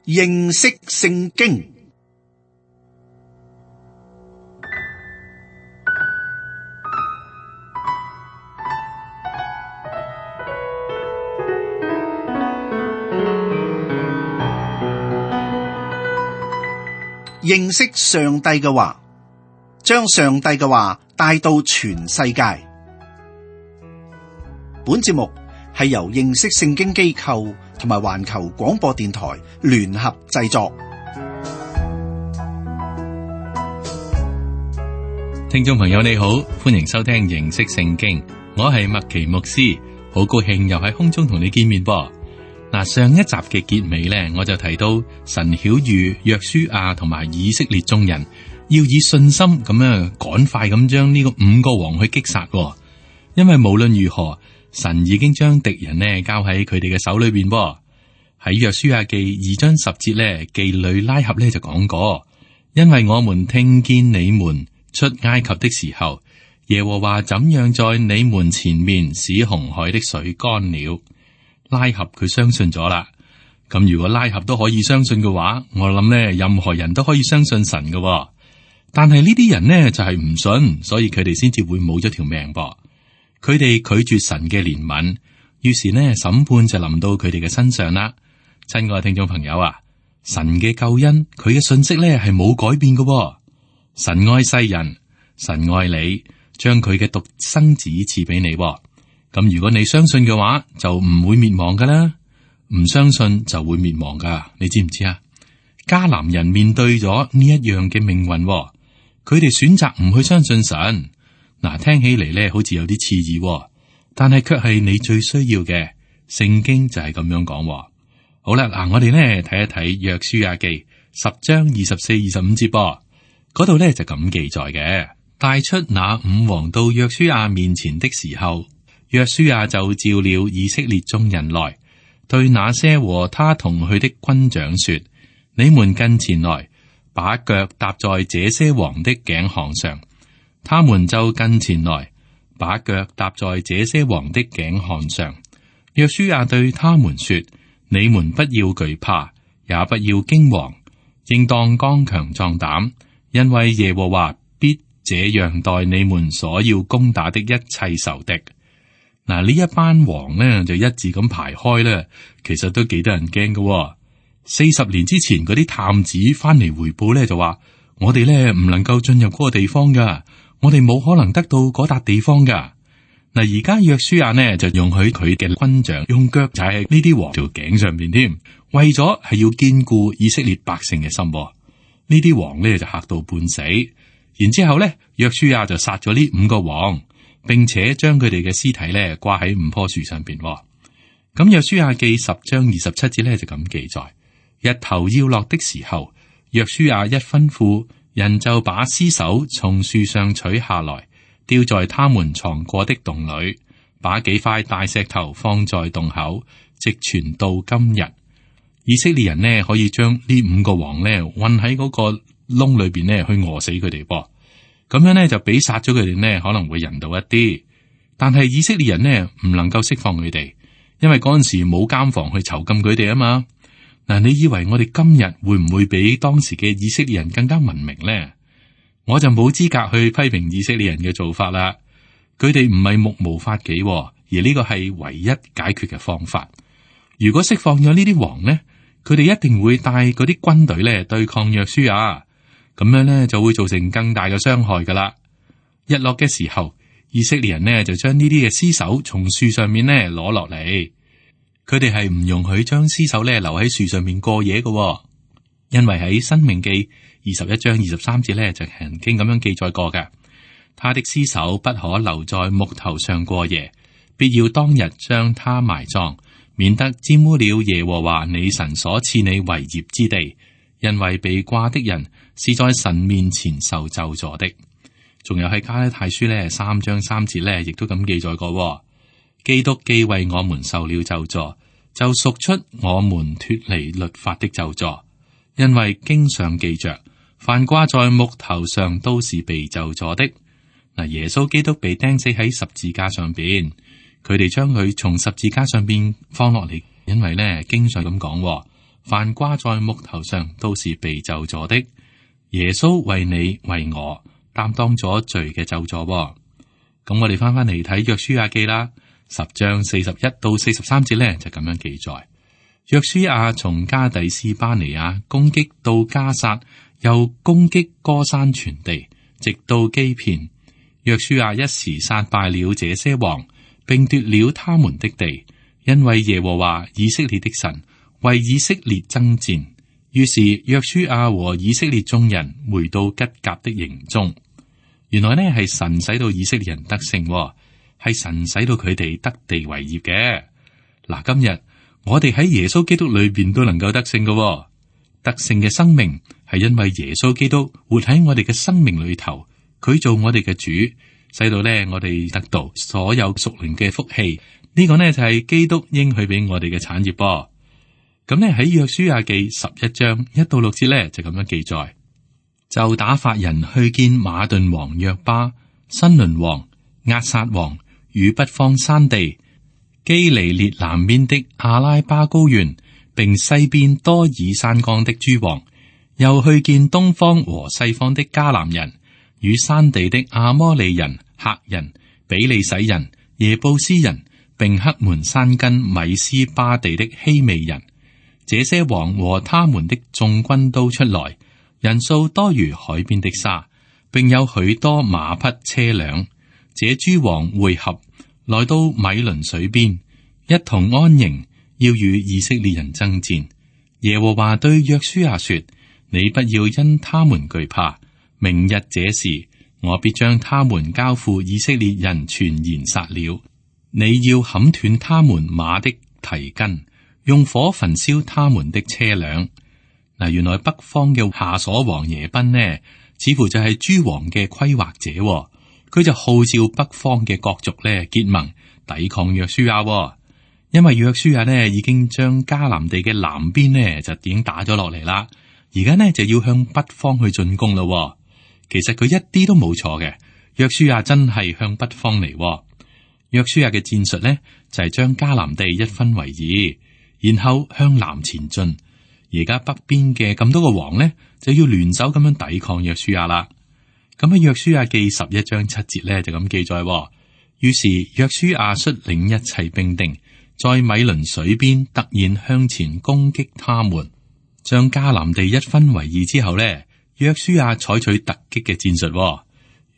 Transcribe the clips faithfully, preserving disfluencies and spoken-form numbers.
認識聖經。認識上帝嘅話，將上帝嘅話帶到全世界。本節目係由認識聖經機構同埋環球廣播電台聯合製作。聽眾朋友你好，歡迎收聽認識聖經，我係麥奇牧師，好高興又喺空中同你見面噃。嗱，上一集嘅結尾呢，我就提到神曉諭約書亞同埋以色列眾人要以信心咁樣趕快咁將呢個五個王去擊殺，因為無論如何，神已經將敵人呢交喺佢哋嘅手裏邊。喺約書亞記二章十節呢，妓女拉合呢就講過，因為我們聽見你們出埃及的時候，耶和華怎樣在你們前面使紅海的水乾了。拉合佢相信咗啦，咁如果拉合都可以相信嘅話，我諗呢任何人都可以相信神嘅。但係呢啲人呢就係唔信，所以佢哋先至會冇咗條命噃。佢哋拒絕神嘅憐憫，於是呢審判就臨到佢哋嘅身上啦。親愛聽眾朋友啊，神嘅救恩佢嘅信息呢係冇改變嘅。神愛世人，神愛你，將佢嘅獨生子賜俾你。咁如果你相信嘅話，就唔會滅亡噶啦；唔相信就會滅亡噶。你知唔知啊？迦南人面對咗呢一樣嘅命運，佢哋選擇唔去相信神。嗱，聽起嚟咧好似有啲刺耳，但係卻係你最需要嘅。聖經就係咁樣講。好啦，嗱，我哋咧睇一睇約書亞記十章二十四、二十五節噃，嗰度咧就咁記載嘅：帶出那五王到約書亞面前的時候，約書亞就召了以色列眾人來，對那些和他同去的軍長說：你們近前來，把腳踏在這些王的頸項上。他們就近前來，把腳踏在這些王的頸項上。約書亞對他們說：你們不要懼怕，也不要驚惶，應當剛強壯膽，因為耶和華必這樣待你們所要攻打的一切仇敵。嗱，呢一班王呢就一致咁排開咧，其實都幾得人驚嘅。四十年之前嗰啲探子翻嚟回報咧，就話我哋咧唔能夠進入嗰個地方噶，我哋冇可能得到嗰笪地方噶。嗱，而家約書亞呢就容許佢嘅軍長用腳踩喺呢啲王條頸上邊添，為咗係要堅固以色列百姓嘅心。呢啲王呢就嚇到半死，然之後咧約書亞就殺咗呢五個王。並且將佢哋嘅屍體咧掛喺五棵樹上邊。咁約書亞記十章二十七節咧就咁記載：日頭要落的時候，約書亞一吩咐，人就把屍首從樹上取下來，丟在他們藏過的洞裏，把幾塊大石頭放在洞口，直傳到今日。以色列人呢可以將呢五個王呢困喺嗰個窿裏邊呢去餓死佢哋噃。咁樣呢，就比殺咗佢哋呢可能會人道一啲，但係以色列人呢唔能夠釋放佢哋，因為嗰陣時冇監房去囚禁佢哋啊嘛。嗱，你以為我哋今日會唔會比當時嘅以色列人更加文明呢？我就冇資格去批評以色列人嘅做法啦。佢哋唔係目無法紀，而呢個係唯一解決嘅方法。如果釋放咗呢啲王呢，佢哋一定會帶嗰啲軍隊咧對抗約書亞。咁樣咧就會造成更大嘅傷害噶啦。日落嘅時候，以色列人呢就將呢啲嘅屍首從樹上面呢攞落嚟。佢哋係唔容許將屍首咧留喺樹上面過夜嘅，因為喺申命記二十一章二十三節咧就曾經咁樣記載過嘅。他的屍首不可留在木頭上過夜，必要當日將他埋葬，免得沾污了耶和華你神所賜你為業之地。因為被掛的人是在神面前受咒詛的。仲有喺加拉太書咧三章三節咧，亦都咁記載過。基督既為我們受了咒詛，就贖出我們脫離律法的咒詛。因為經上記着，凡掛在木頭上都是被咒詛的。嗱，耶穌基督被釘死喺十字架上邊，佢哋將佢從十字架上邊放落嚟，因為咧經上咁講。凡掛在木頭上都是被咒詛的。耶穌為你為我擔當咗罪嘅咒詛。咁我哋翻翻嚟睇約書亞記啦，十章四十一到四十三節咧就咁樣記載。約書亞從加底斯巴尼亞攻擊到迦薩，又攻擊歌珊全地，直到基遍。約書亞一時殺敗了這些王，並奪了他們的地，因為耶和華以色列的神為以色列爭戰。於是約書亞和以色列眾人回到吉甲的營中。原來呢係神使到以色列人得勝，係神使到佢哋得地為業嘅。嗱，今日我哋喺耶穌基督裏邊都能夠得勝嘅，得勝嘅生命係因為耶穌基督活喺我哋嘅生命裏頭，佢做我哋嘅主，使到呢我哋得到所有屬靈嘅福氣。呢、這個呢就係基督應許俾我哋嘅產業噃。咁呢喺約書亞記十一章一到六節呢，就咁樣記載，就打發人去見馬頓王約巴、新倫王、押撒王與北方山地、基尼列南邊的阿拉巴高原，並西邊多爾山岡的諸王，又去見東方和西方的迦南人與山地的阿摩利人、赫人、比利洗人、耶布斯人，並黑門山根米斯巴地的希未人。這些王和他們的眾軍都出來，人數多如海邊的沙，並有許多馬匹車輛。這諸王會合，來到米倫水邊，一同安營，要與以色列人爭戰。耶和華對約書亞說：你不要因他們懼怕，明日這時，我必將他們交付以色列人，全然殺了。你要砍斷他們馬的蹄筋，用火焚燒他們的車輛。嗱，原來北方嘅夏瑣王耶賓呢，似乎就係諸王嘅規劃者，佢就號召北方嘅各族咧結盟抵抗約書亞。因為約書亞呢已經將迦南地嘅南邊呢就已經打咗落嚟啦，而家呢就要向北方去進攻咯。其實佢一啲都冇錯嘅，約書亞真係向北方嚟。約書亞嘅戰術呢就係將迦南地一分為二，然後向南前進。而家北邊嘅咁多個王呢，就要聯手咁樣抵抗約書亞啦。咁喺約書亞記十一章七節呢，就咁記載。於是約書亞率領一切兵丁，在米倫水邊突然向前攻擊他們，將迦南地一分為二之後呢，約書亞採取突擊嘅戰術。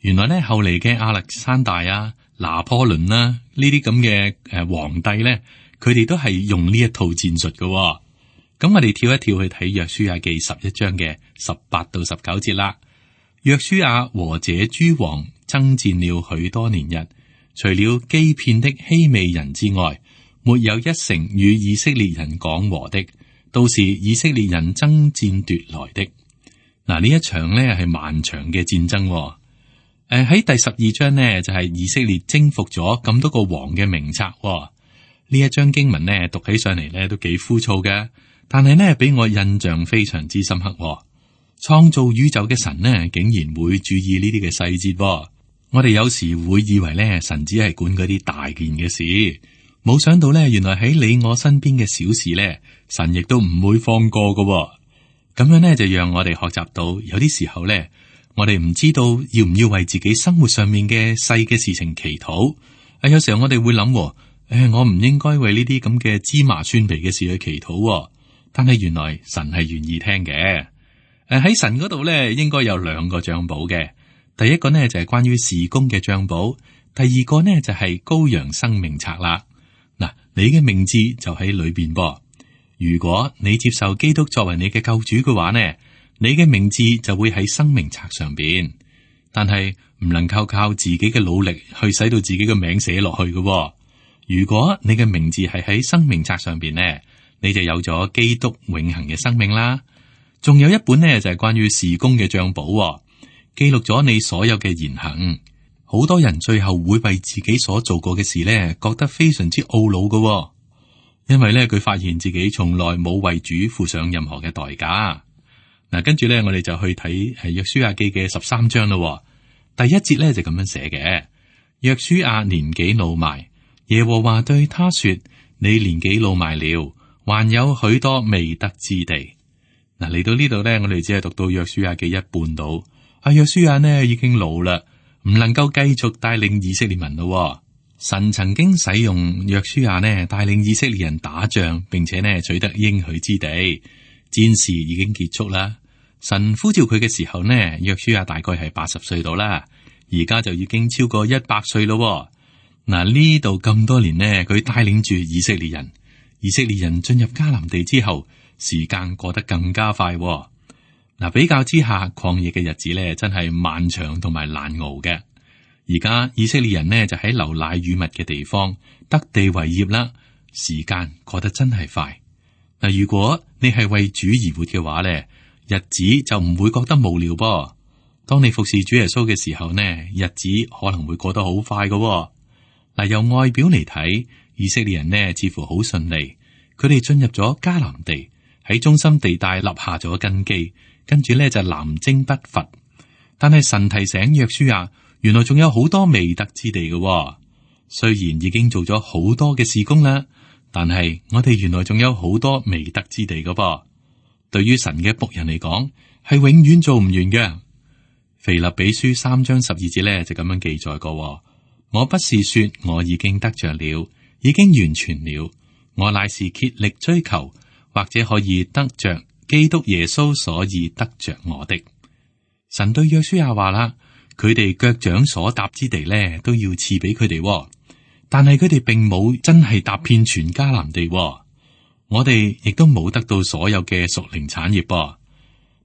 原來呢，後嚟嘅亞歷山大啊、拿破崙啦呢啲咁嘅誒皇帝呢，佢哋都係用呢一套戰術嘅。咁我哋跳一跳去睇約書亞記十一章嘅十八到十九節啦。約書亞和這諸王爭戰了許多年日，除了基遍的希未人之外，沒有一城與以色列人講和的，都是以色列人爭戰奪來的。嗱，呢一場呢係漫長嘅戰爭。誒、呃、喺第十二章呢，就係、是、以色列征服咗咁多個王嘅名冊。呢一章經文呢讀起上嚟呢都幾枯燥嘅，但係呢俾我印象非常之深刻。創造宇宙嘅神呢竟然會注意呢啲嘅細節。我哋有時會以為呢神只係管嗰啲大件嘅事，冇想到呢原來喺你我身邊嘅小事呢，神亦都唔會放過㗎。咁樣呢就讓我哋學習到，有啲時候呢，我哋唔知道要唔要為自己生活上面嘅細嘅事情祈禱。啊，有時候我哋會諗，誒、哎，我唔應該為呢啲咁嘅芝麻蒜皮嘅事去祈禱。但係原來神係願意聽嘅。誒、啊，喺神嗰度呢，應該有兩個帳簿嘅。第一個呢就係、是、關於事工嘅帳簿，第二個呢就係、是、羔羊生命冊啦。嗱、啊，你嘅名字就喺裏邊噃。如果你接受基督作為你嘅救主嘅話呢，你嘅名字就會喺生命冊上邊。但係唔能夠靠自己嘅努力去使到自己嘅名寫落去嘅。如果你嘅名字係喺生命冊上邊呢，你就有咗基督永恆嘅生命啦。仲有一本呢就係、是、關於事工嘅帳簿，記錄咗你所有嘅言行。好多人最後會為自己所做過嘅事呢，覺得非常之懊惱嘅。因為咧，佢發現自己從來冇為主付上任何嘅代價。嗱，跟住咧，我哋就去睇係約書亞記嘅十三章咯。第一節咧就咁樣寫嘅：約書亞年紀老邁，耶和華對他說：你年紀老邁了，還有許多未得之地。嗱，嚟到呢度呢，我哋只係讀到約書亞記一半到。阿約書亞呢已經老啦，唔能夠繼續帶領以色列民咯。神曾經使用約書亞呢帶領以色列人打仗，並且呢取得應許之地，戰事已經結束啦。神呼召佢嘅時候呢，約書亞大概係八十歲到啦，而家就已經超過一百歲咯。嗱，呢度咁多年呢，佢帶領住以色列人，以色列人進入迦南地之後，時間過得更加快。嗱，比較之下，曠野嘅日子咧，真係漫長同埋難熬嘅。而家以色列人呢，就喺流奶與蜜嘅地方得地為業啦，時間過得真係快。嗱，如果你係為主而活嘅話咧，日子就唔會覺得無聊噃。當你服侍主耶穌嘅時候呢，日子可能會過得好快㗎。嗱，由外表嚟睇，以色列人呢似乎好順利，佢哋進入咗迦南地，喺中心地帶立下咗根基。跟住咧就南征北伐，但係神提醒約書亞，原來仲有好多未得之地嘅、哦。雖然已經做咗好多嘅事工啦，但係我哋原來仲有好多未得之地嘅噃。對於神嘅僕人嚟講，係永遠做唔完嘅。腓立比書三章十二節咧就咁樣記載過、哦：我不是說我已經得着了，已經完全了，我乃是竭力追求，或者可以得着基督耶穌，所以得着我的。神對約書亞話啦，佢哋腳掌所踏之地咧，都要賜俾佢哋。但係佢哋並冇真係踏遍全迦南地。我哋亦都冇得到所有嘅屬靈產業噃。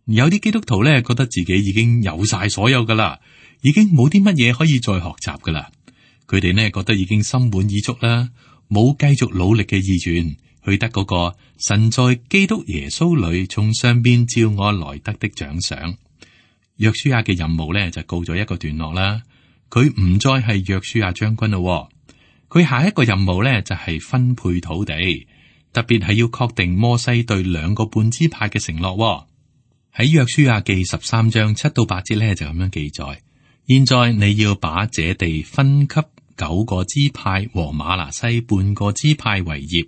有啲基督徒咧，覺得自己已經有晒所有噶啦，已經冇啲乜嘢可以再學習噶啦。佢哋呢覺得已經心滿意足啦，冇繼續努力嘅意願。去得嗰個神在基督耶穌裏從上邊召我來得的獎賞。約書亞嘅任務咧就告咗一個段落啦。佢唔再係約書亞將軍咯。佢下一個任務咧就係分配土地，特別係要確定摩西對兩個半支派嘅承諾。喺約書亞記十三章七到八節咧就咁樣記載：現在你要把這地分給九個支派和瑪拿西半個支派為業。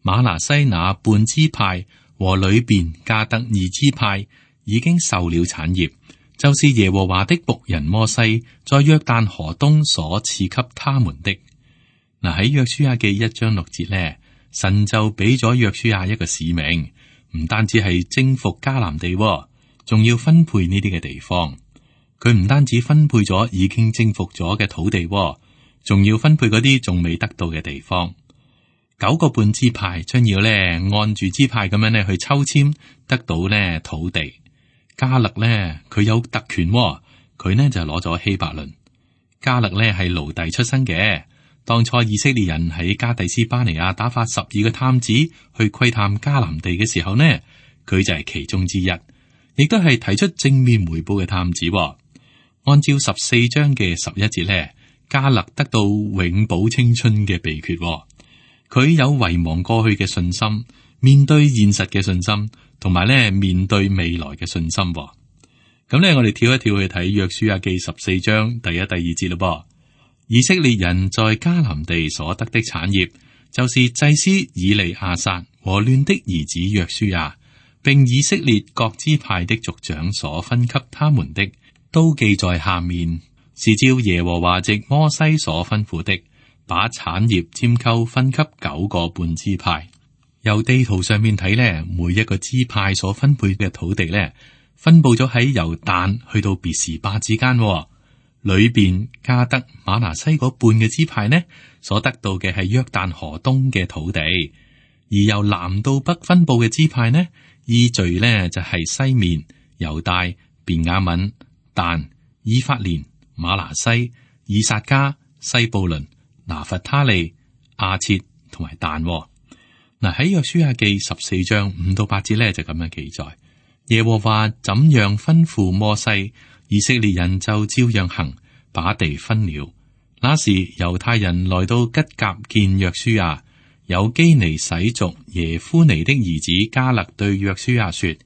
瑪拿西那半支派和裏邊加得二支派已經受了產業，就是耶和華的僕人摩西在約旦河東所賜給他們的。嗱，喺約書亞記一章六節呢，神就俾咗約書亞一個使命，唔單止係征服迦南地，仲要分配呢啲嘅地方。佢唔單止分配咗已經征服咗嘅土地，仲要分配嗰啲仲未得到嘅地方。九個半支派將要咧按住支派咁樣咧去抽籤，得到咧土地。迦勒咧佢有特權，佢呢就攞咗希伯倫。迦勒咧係奴隸出身嘅，當初以色列人喺加第斯巴尼亞打發十二個探子去窺探迦南地嘅時候呢，佢就係其中之一，亦都係提出正面回報嘅探子。按照十四章嘅十一節咧，迦勒得到永葆青春嘅秘訣。佢有遺忘過去嘅信心，面對現實嘅信心，同埋咧面對未來嘅信心。咁咧，我哋跳一跳去睇約書亞記十四章第一、第二節咯。噃，以色列人在迦南地所得的產業，就是祭司以利亞撒和亂的兒子約書亞，並以色列各支派的族長所分給他們的，都記在下面，是照耶和華藉摩西所吩咐的。把產業拈鬮分給九個半支派。由地圖上面睇咧，每一個支派所分配嘅土地咧，分布咗喺由但去到別是巴之間。裏邊加得瑪拿西嗰半嘅支派呢，所得到嘅係約旦河東嘅土地；而由南到北分布嘅支派呢，依序呢就係西面、猶大、便雅憫、但、以法蓮、瑪拿西、以薩迦、西布倫、拿弗他利、亞設同埋但。嗱，喺約書亞記十四章五到八節咧就咁樣記載：耶和華怎樣吩咐摩西，以色列人就照樣行，把地分了。那時猶太人來到吉甲見約書亞，有基尼洗族耶夫尼的兒子迦勒對約書亞說：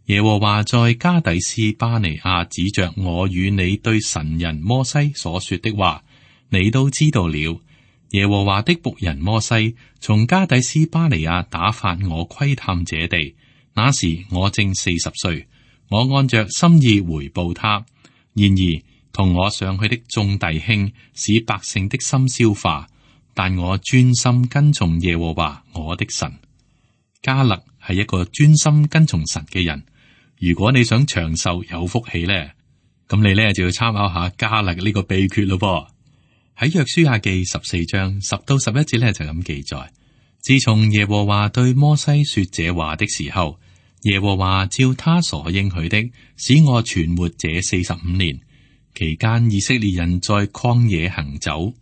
耶和華在加底斯巴尼亞指着我與你對神人摩西所說的話，你都知道了。耶和華的僕人摩西從加底斯巴尼亞打發我窺探這地，那時我正四十歲，我按着心意回報他。然而同我上去的眾弟兄使百姓的心消化，但我專心跟從耶和華我的神。迦勒係一個專心跟從神嘅人。如果你想長壽有福氣咧，咁你咧就要參考下迦勒呢個秘訣咯噃。喺約書亞記十四章十到十一節咧就咁記載：自從耶和華對摩西說這話的時候，耶和華照他所應許的，使我存活這四十五年。期間以色列人在曠野行走。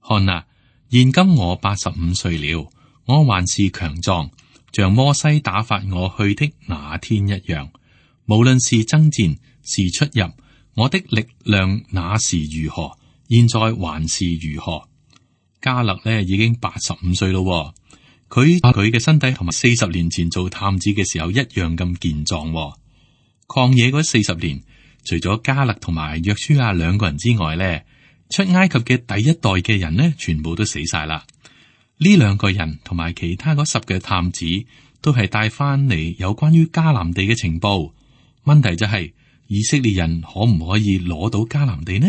看啊，現今我八十五歲了，我還是強壯，像摩西打發我去的那天一樣。無論是爭戰是出入，我的力量那時如何，現在還是如何。迦勒呢已經八十五歲咯，佢佢嘅身體同埋四十年前做探子嘅時候一樣咁健壯。曠野嗰四十年，除咗迦勒同埋約書亞兩個人之外咧，出埃及嘅第一代嘅人呢，全部都死晒啦。呢兩個人同埋其他嗰十個探子都係帶翻嚟有關於迦南地嘅情報。問題就係、是、以色列人可唔可以攞到迦南地呢？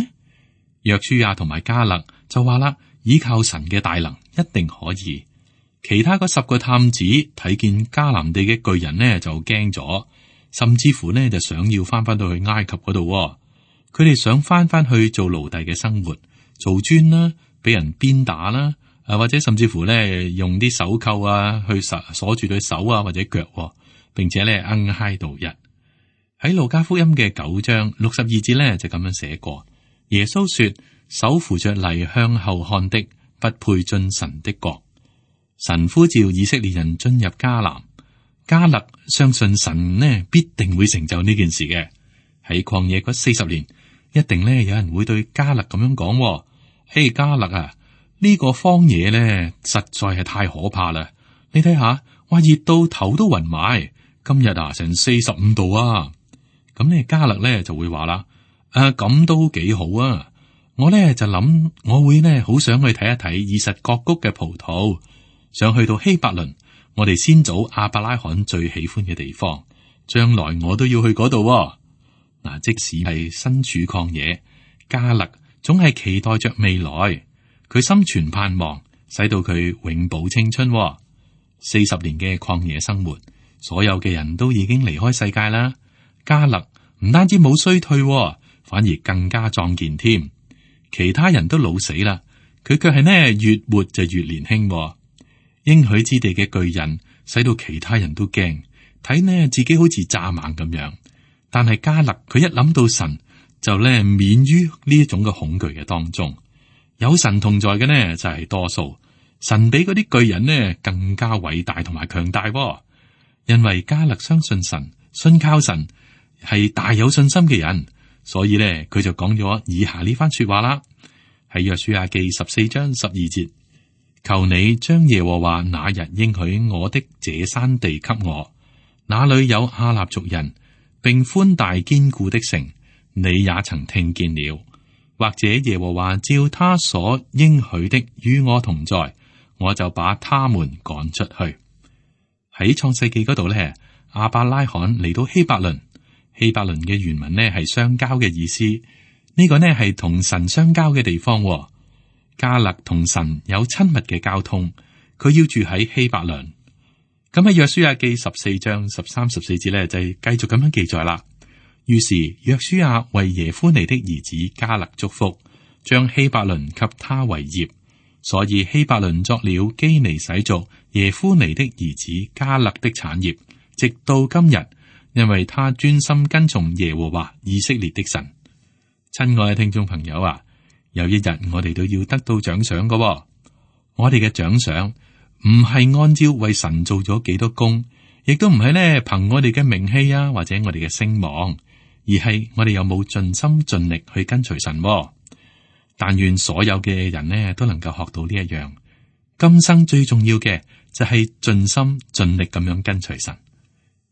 約書亞同埋迦勒就話啦，依靠神嘅大能一定可以。其他嗰十個探子睇見迦南地嘅巨人呢，就驚咗，甚至乎呢就想要翻翻到去埃及嗰度。佢哋想翻翻去做奴隸嘅生活，做磚啦，俾人鞭打啦，啊或者甚至乎呢用啲手扣啊去鎖鎖住對手啊或者腳，並且呢恩嗨度日。喺路加福音嘅九章六十二節呢，就咁樣寫過：耶穌說，手扶着犁向後看的，不配進神的國。神呼召以色列人進入迦南，迦勒相信神呢必定會成就呢件事嘅。喺曠野嗰四十年，一定呢有人會對迦勒咁樣講：嘿，迦勒啊，呢個荒野呢實在係太可怕啦！你睇下，哇熱到頭都暈埋，今日啊成四十五度啊！咁呢迦勒咧就會話啦：誒咁都幾好啊！我咧就諗，我會呢好想去睇一睇以實各谷嘅葡萄，想去到希伯倫，我哋先祖亞伯拉罕最喜歡嘅地方，將來我都要去嗰度。嗱，即使係身處曠野，迦勒總係期待着未來，佢心存盼望，使到佢永葆青春。四十年嘅曠野生活，所有嘅人都已經離開世界啦。迦勒唔單止冇衰退，反而更加壯健添。其他人都老死啦，佢卻係呢越活就越年輕。應許之地嘅巨人，使到其他人都驚，睇呢自己好似蚱蜢咁樣。但係迦勒佢一諗到神，就呢免於呢一種嘅恐懼嘅當中。有神同在嘅呢就係多數，神比嗰啲巨人呢更加偉大同埋強大。因為迦勒相信神，信靠神。係大有信心嘅人，所以咧佢就講咗以下呢番說話啦。喺約書亞記十四章十二節，求你將耶和華那日應許我的這山地給我，那裏有亞納族人，並寬大堅固的城，你也曾聽見了。或者耶和華照他所應許的與我同在，我就把他們趕出去。喺創世記嗰度咧，亞伯拉罕嚟到希伯倫。希伯倫嘅原文呢係相交嘅意思，呢、這個呢係同神相交嘅地方。迦勒同神有親密嘅交通，佢要住喺希伯倫。咁喺約書亞記十四章十三十四節呢，就繼續咁樣記載啦。於是約書亞為耶夫尼的兒子迦勒祝福，將希伯倫給他為業，所以希伯倫作了基尼洗族耶夫尼的兒子迦勒的產業，直到今日。因為他專心跟從耶和華以色列的神。親愛嘅聽眾朋友啊，有一日我哋都要得到獎賞嘅。我哋嘅獎賞唔係按照為神做咗幾多功，亦都唔係咧憑我哋嘅名氣啊，或者我哋嘅聲望，而係我哋有冇盡心盡力去跟隨神。但願所有嘅人呢都能夠學到呢一樣，今生最重要嘅就係盡心盡力咁樣跟隨神。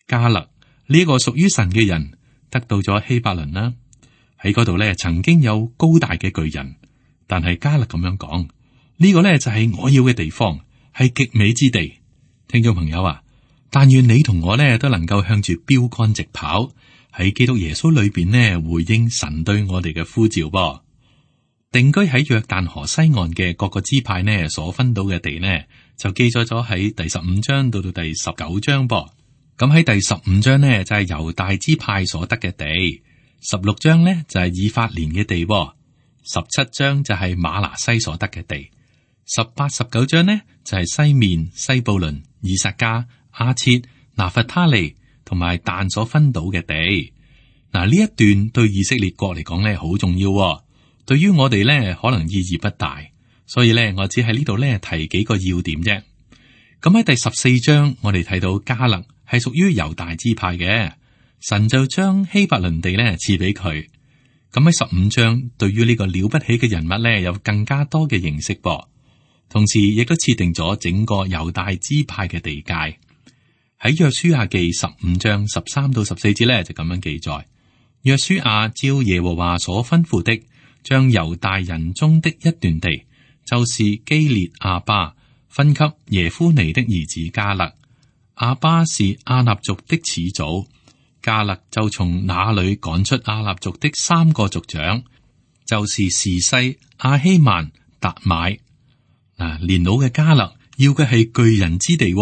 迦勒呢個屬於神嘅人得到咗希伯倫啦，喺嗰度咧曾經有高大嘅巨人，但係迦勒咁樣講，呢個呢就係我要嘅地方，係極美之地。聽眾朋友啊，但願你同我呢都能夠向住標杆直跑，喺基督耶穌裏邊呢回應神對我哋嘅呼召噃。定居喺約旦河西岸嘅各個支派呢所分到嘅地呢，就記載咗喺第十五章到到第十九章噃。咁喺第十五章呢就係猶大支派所得嘅地，十六章呢就係以法蓮嘅地，十七章就係瑪拿西所得嘅地，十八、十九章呢就係西面、西布倫、以薩迦、阿切、拿弗他利同埋但所分到嘅地。嗱，呢一段對以色列國嚟講呢好重要。對於我哋咧，可能意義不大，所以咧，我只喺呢度咧提幾個要點啫。咁喺第十四章，我哋睇到迦勒係屬於猶大支派嘅，神就將希伯倫地咧賜俾佢。咁喺十五章，對於呢個了不起嘅人物咧，有更加多嘅認識噃。同時，亦都設定咗整個猶大支派嘅地界。喺約書亞記十五章十三到十四節咧，就咁樣記載：約書亞照耶和華所吩咐的，將猶大人中的一段地，就是基列亞巴，分給耶夫尼的兒子迦勒。亞巴是亞納族的始祖，迦勒就從那裏趕出亞納族的三個族長，就是士西、亞希曼、達買。嗱，年老嘅迦勒要嘅係巨人之地，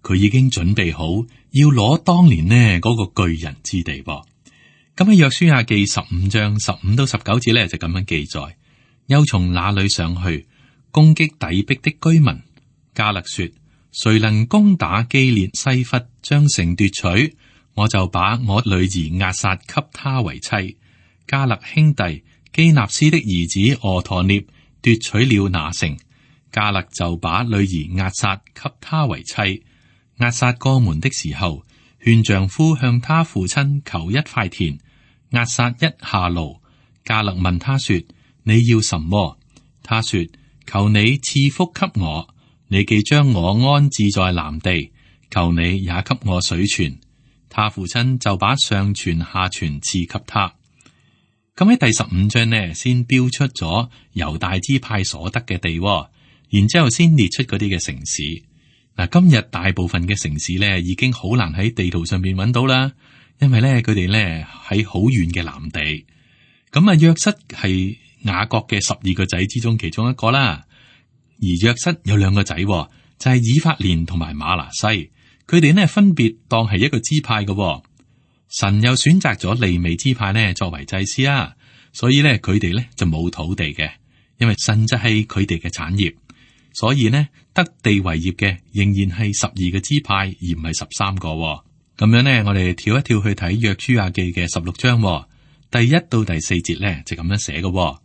佢已經準備好要攞當年呢嗰個巨人之地噃。咁喺約書亞記十五章十五到十九節咧，就咁樣記載：又從那裏上去攻擊底壁的居民。迦勒說：誰能攻打基列西弗，將城奪取，我就把我女兒押撒給他為妻。迦勒兄弟基納斯的兒子俄陀聶奪取了那城，迦勒就把女兒押撒給他為妻。押撒過門的時候，勸丈夫向他父親求一塊田，押撒一下驢。迦勒問他說：你要什麼？他說：求你賜福給我。你既將我安置在南地，求你也給我水泉。他父親就把上泉下泉賜給他。咁喺第十五章呢，先標出咗猶大支派所得嘅地，然之後先列出嗰啲嘅城市。嗱，今日大部分嘅城市咧，已經好難喺地圖上邊揾到啦，因為咧佢哋咧喺好遠嘅南地。咁啊，約瑟係雅各嘅十二個仔之中其中一個啦。而約瑟有兩個仔，就係以法蓮同埋瑪拿西，佢哋呢分別當係一個支派嘅。神又選擇咗利未支派呢作為祭司啊，所以咧佢哋咧就冇土地嘅，因為神就係佢哋嘅產業。所以呢，得地為業嘅仍然係十二個支派，而唔係十三個。咁樣呢，我哋跳一跳去睇約書亞記嘅十六章，第一到第四節呢，就咁樣寫嘅。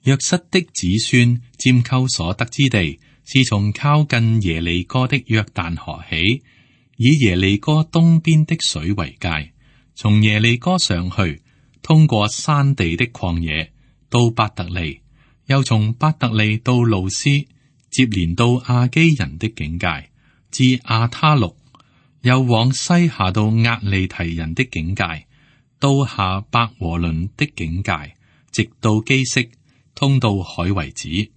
約瑟的子孫佔購所得之地，是從靠近耶利哥的約旦河起，以耶利哥東邊的水為界，從耶利哥上去，通過山地的曠野，到伯特利，又從伯特利到路斯，接連到亞基人的境界，至亞他錄，又往西下到押利提人的境界，到下伯和倫的境界，直到基色，通到海為止。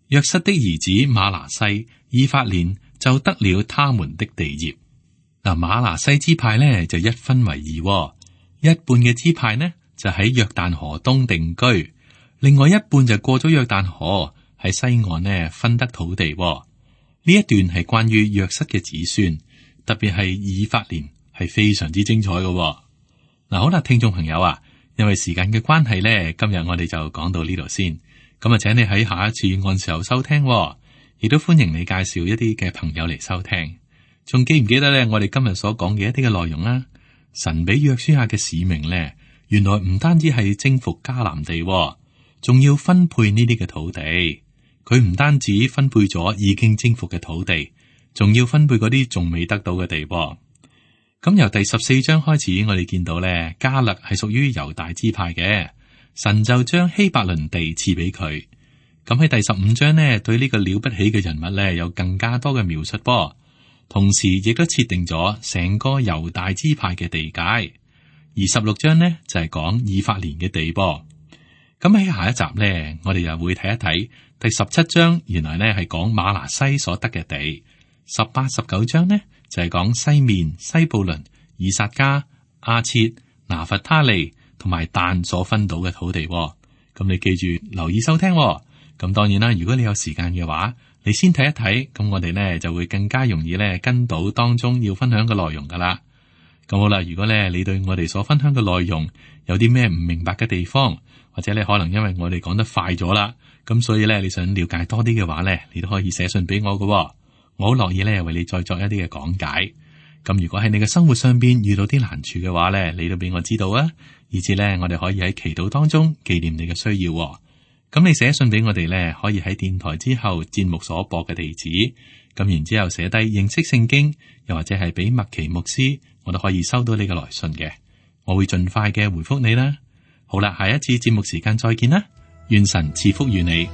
約瑟的兒子瑪拿西、以法蓮就得了他們的地業。嗱，瑪拿西支派呢就一分為二，一半嘅支派呢就喺約旦河東定居，另外一半就過咗約旦河喺西岸呢分得土地。呢一段係關於約瑟嘅子孫，特別係以法蓮係非常之精彩嘅。嗱，好啦，聽眾朋友啊，因為時間嘅關係呢，今日我哋就講到呢度先。咁啊，請你喺下一次按時候收聽，亦都歡迎你介紹一啲嘅朋友嚟收聽。仲記唔記得咧？我哋今日所講嘅一啲嘅內容啊？神俾約書亞嘅使命咧，原來唔單止係征服迦南地，仲要分配呢啲嘅土地。佢唔單止分配咗已經征服嘅土地，仲要分配嗰啲仲未得到嘅地。咁由第十四章開始，我哋見到咧，迦勒係屬於猶大支派嘅。神就將希伯倫地賜俾佢。咁喺第十五章呢，對呢個了不起嘅人物呢，有更加多嘅描述噃。同時亦都設定咗成個猶大支派嘅地界。而十六章呢，就係講以法蓮嘅地噃。咁喺下一集呢，我哋又會睇一睇第十七章原來呢係講馬拿西所得嘅地，十八、十九章呢就係講西面、西布倫、以薩迦、阿切、拿弗他利同埋但所分到嘅土地。咁你記住留意收聽。咁當然啦，如果你有時間嘅話，你先睇一睇，咁我哋呢就會更加容易呢跟到當中要分享嘅內容噶啦。咁好啦，如果咧你對我哋所分享嘅內容有啲咩唔明白嘅地方，或者你可能因為我哋講得快咗啦，咁所以咧你想了解多啲嘅話咧，你都可以寫信俾我嘅。我好樂意咧為你再作一啲嘅講解。咁如果喺你嘅生活上邊遇到啲難處嘅話咧，你都俾我知道啊，以至咧我哋可以喺祈禱當中紀念你嘅需要。咁你寫信俾我哋咧，可以喺電台之後節目所播嘅地址，咁然之後寫低認識聖經，又或者係俾麥奇牧師，我都可以收到你嘅來信嘅，我會盡快嘅回覆你啦。好啦，下一次節目時間再見啦，願神賜福於你。